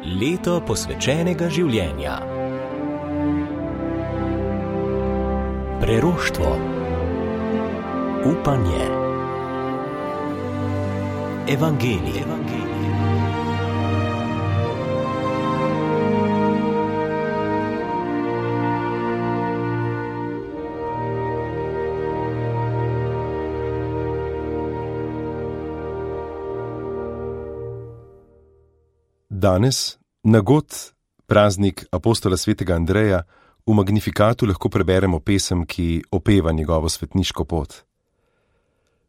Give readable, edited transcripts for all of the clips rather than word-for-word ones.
Leto posvečenega življenja. Preroštvo. Upanje. Evangelije. Danes, na god praznik apostola svetega Andreja, v Magnifikatu lahko preberemo pesem, ki opeva njegovo svetniško pot.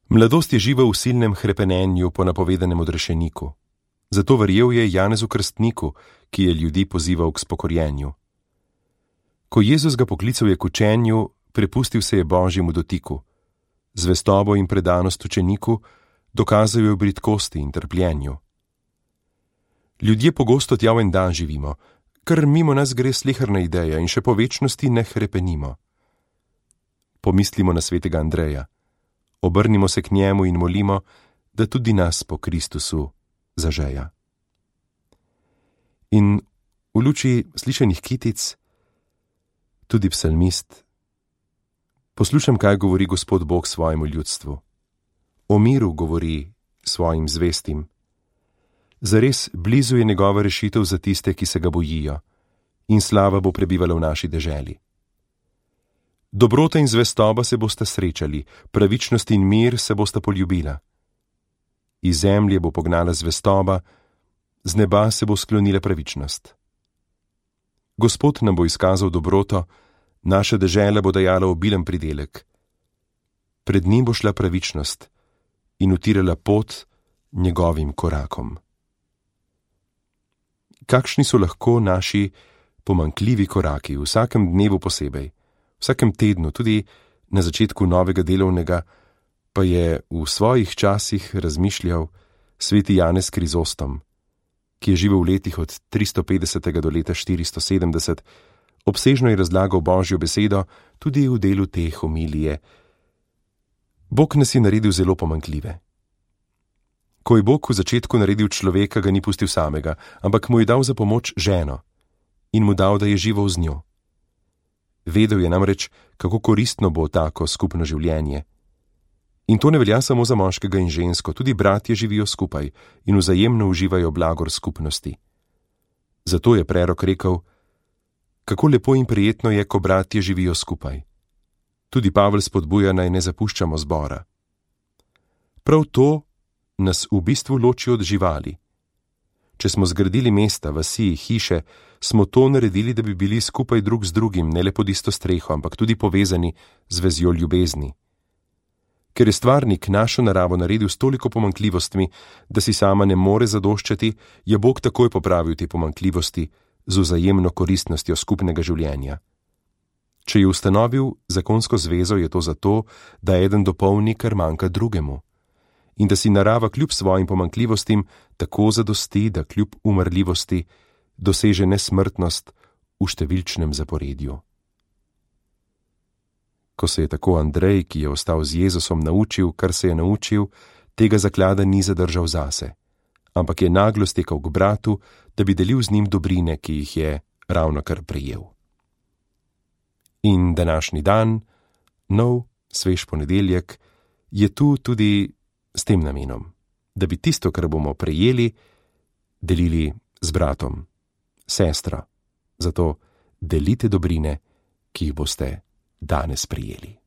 Mladost je živa v silnem hrepenenju po napovedanem odrešeniku. Zato verjel je Janezu Krstniku, ki je ljudi pozival k spokorjenju. Ko Jezus ga poklical je k učenju, prepustil se je Božjemu dotiku. Zvestobo in predanost učeniku dokazal je v bridkosti in trpljenju. Ljudje pogosto tja v en dan živimo, ker mimo nas gre sleherna ideja in še po večnosti ne hrepenimo. Pomislimo na svetega Andreja, obrnimo se k njemu in molimo, da tudi nas po Kristusu zažeja. In v luči slišanih kitic, tudi psalmist, poslušam, kaj govori Gospod Bog svojemu ljudstvu. O miru govori svojim zvestim. Zares blizu je njegova rešitev za tiste, ki se ga bojijo, in slava bo prebivala v naši deželi. Dobrota in zvestoba se bosta srečali, pravičnost in mir se bosta poljubila. Iz zemlje bo pognala zvestoba, z neba se bo sklonila pravičnost. Gospod nam bo izkazal dobroto, naša dežela bo dajala obilen pridelek. Pred njim bo šla pravičnost in utirala pot njegovim korakom. Kakšni so lahko naši pomanjkljivi koraki v vsakem dnevu posebej, vsakem tednu, tudi na začetku novega delovnega, pa je v svojih časih razmišljal sveti Janez Krizostom, ki je živel v letih od 350. do leta 470, obsežno je razlagal Božjo besedo tudi v delu te homilije. Bog nas je naredil zelo pomanjkljive. Ko je Bog v začetku naredil človeka, ga ni pustil samega, ampak mu je dal za pomoč ženo in mu dal, da je živel z njo. Vedel je namreč, kako koristno bo tako skupno življenje. In to ne velja samo za moškega in žensko, tudi bratje živijo skupaj in vzajemno uživajo blagor skupnosti. Zato je prerok rekel, kako lepo in prijetno je, ko bratje živijo skupaj. Tudi Pavel spodbuja, naj ne zapuščamo zbora. Prav to nas v bistvu loči od živali. Če smo zgradili mesta, vasi, hiše, smo to naredili, da bi bili skupaj drug z drugim, ne le pod isto streho, ampak tudi povezani z vezjo ljubezni. Ker je stvarnik našo naravo naredil s toliko pomanjkljivostmi, da si sama ne more zadoščati, je Bog takoj popravil te pomanjkljivosti z vzajemno koristnostjo skupnega življenja. Če je ustanovil zakonsko zvezo, je to zato, da eden dopolni, kar manjka drugemu. In da si narava kljub svojim pomanjkljivostim tako zadosti, da kljub umrljivosti doseže nesmrtnost v številčnem zaporedju. Ko se je tako Andrej, ki je ostal z Jezusom, naučil, kar se je naučil, tega zaklada ni zadržal zase, ampak je naglo stekal k bratu, da bi delil z njim dobrine, ki jih je ravnokar prejel. In današnji dan, nov, svež ponedeljek, je tu tudi s tem namenom, da bi tisto, kar bomo prejeli, delili z bratom, sestro. Zato delite dobrine, ki jih boste danes prejeli.